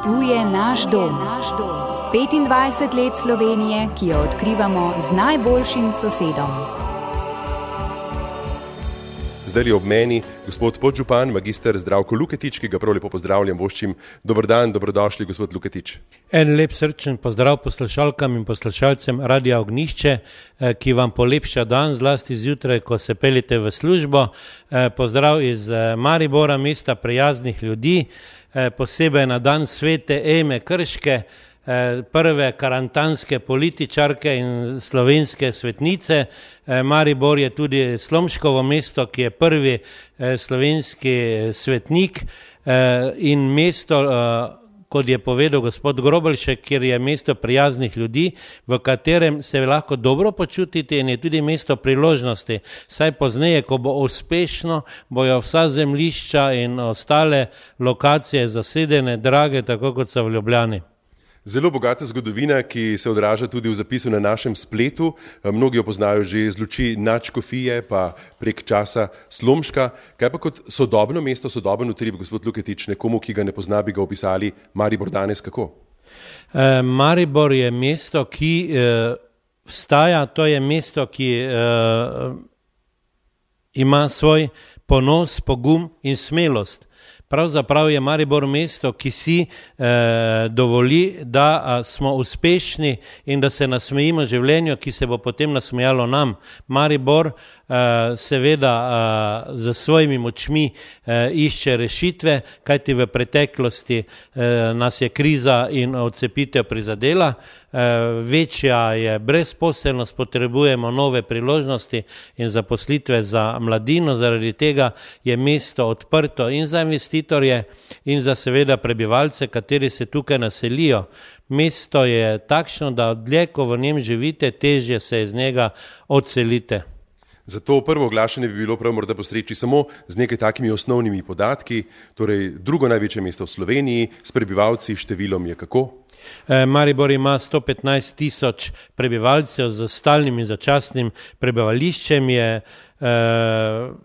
Tu je naš dom. 25 let Slovenije, ki jo odkrivamo z najboljšim sosedom. Zdaj je ob meni gospod podžupan, magister Zdravko Luketič, ki ga prav lepo pozdravljam, voščim. Dober dan, dobrodošli, gospod Luketič. En lep srčen pozdrav poslušalkam in poslušalcem Radia Ognjišče, ki vam polepša dan, zlasti zjutraj, ko se peljete v službo. Pozdrav iz Maribora, mesta prijaznih ljudi, posebej na dan svete Eme Krške, prve karantanske političarke in slovenske svetnice. Maribor je tudi Slomškovo mesto, ki je prvi slovenski svetnik in mesto, kot je povedal gospod Grobelšek, kjer je mesto prijaznih ljudi, v katerem se lahko dobro počutite in je tudi mesto priložnosti. Saj pozneje, ko bo uspešno, bojo vsa zemljišča in ostale lokacije zasedene, drage, tako kot so v Ljubljani. Zelo bogata zgodovina, ki se odraža tudi v zapisu na našem spletu. Mnogi jo poznajo že iz luči nadškofije, pa prek časa Slomška. Kaj pa kot sodobno mesto, sodoben utrip, gospod Luketič, nekomu, ki ga ne pozna, bi ga opisali Maribor danes kako? Maribor je mesto, ki vstaja, to je mesto, ki ima svoj ponos, pogum in smelost. Pravzaprav je Maribor mesto, ki si dovoli, da smo uspešni in da se nasmejimo življenju, ki se bo potem nasmejalo nam. Maribor seveda z svojimi močmi išče rešitve, kajti v preteklosti nas je kriza in odcepitev prizadela. Večja je brezposelnost, potrebujemo nove priložnosti in zaposlitve za mladino, zaradi tega je mesto odprto in za investitorje in za seveda prebivalce, kateri se tukaj naselijo. Mesto je takšno, da dlje, ko v njem živite, težje se iz njega odselite. Zato prvo oglašanje bi bilo prav morda postreči samo z nekaj takimi osnovnimi podatki, torej drugo največje mesto v Sloveniji, s prebivalci, številom je kako? Maribor ima 115 tisoč prebivalcev z stalnim in začasnim prebivališčem, je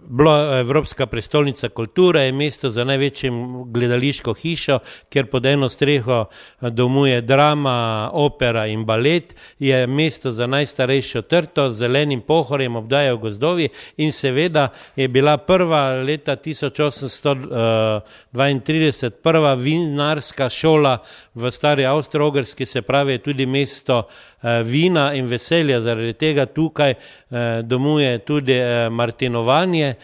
bila Evropska prestolnica kulture, je mesto za največjim gledališko hišo, kjer pod eno streho domuje drama, opera in balet, je mesto za najstarejšo trto z zelenim pohorjem, obdajajo gozdovi in seveda je bila prva leta 1832 prva vinarska šola v stari Avstro-Ogrski, se pravi tudi mesto vina in veselja, zaradi tega tukaj domuje tudi martinovanje,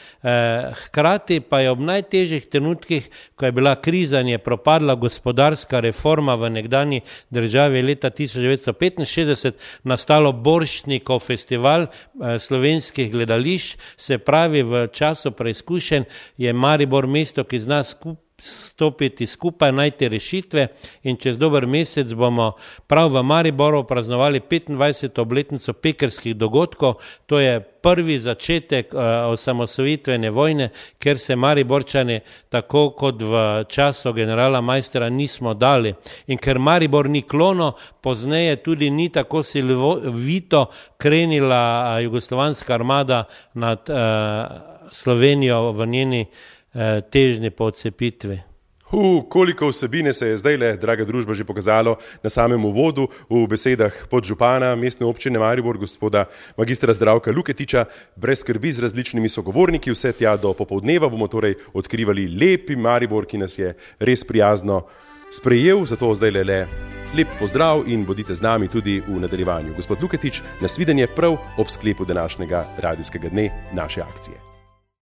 hkrati pa je ob najtežjih trenutkih, ko je bila kriza in je propadla gospodarska reforma v nekdanji državi leta 1965, nastalo Borštnikov festival slovenskih gledališč, se pravi v času preizkušenj je Maribor mesto, ki zna stopiti skupaj, najti rešitve in čez dober mesec bomo prav v Mariboru praznovali 25. obletnico pekrskih dogodkov. To je prvi začetek osamosvojitvene vojne, ker se Mariborčani tako kot v času generala Maistra nismo dali. In ker Maribor ni klono, pozneje tudi ni tako silovito krenila jugoslovanska armada nad Slovenijo v njeni težnji po odcepitvi. Koliko vsebine se je zdajle, draga družba, že pokazalo na samem uvodu v besedah podžupana mestne občine Maribor, gospoda magistra Zdravka Luketiča. Brez skrbi z različnimi sogovorniki, vse tja do popoldneva bomo torej odkrivali lepi Maribor, ki nas je res prijazno sprejel, zato zdajle le lep pozdrav in bodite z nami tudi v nadaljevanju. Gospod Luketič, nasvidenje prav ob sklepu današnjega radijskega dne naše akcije.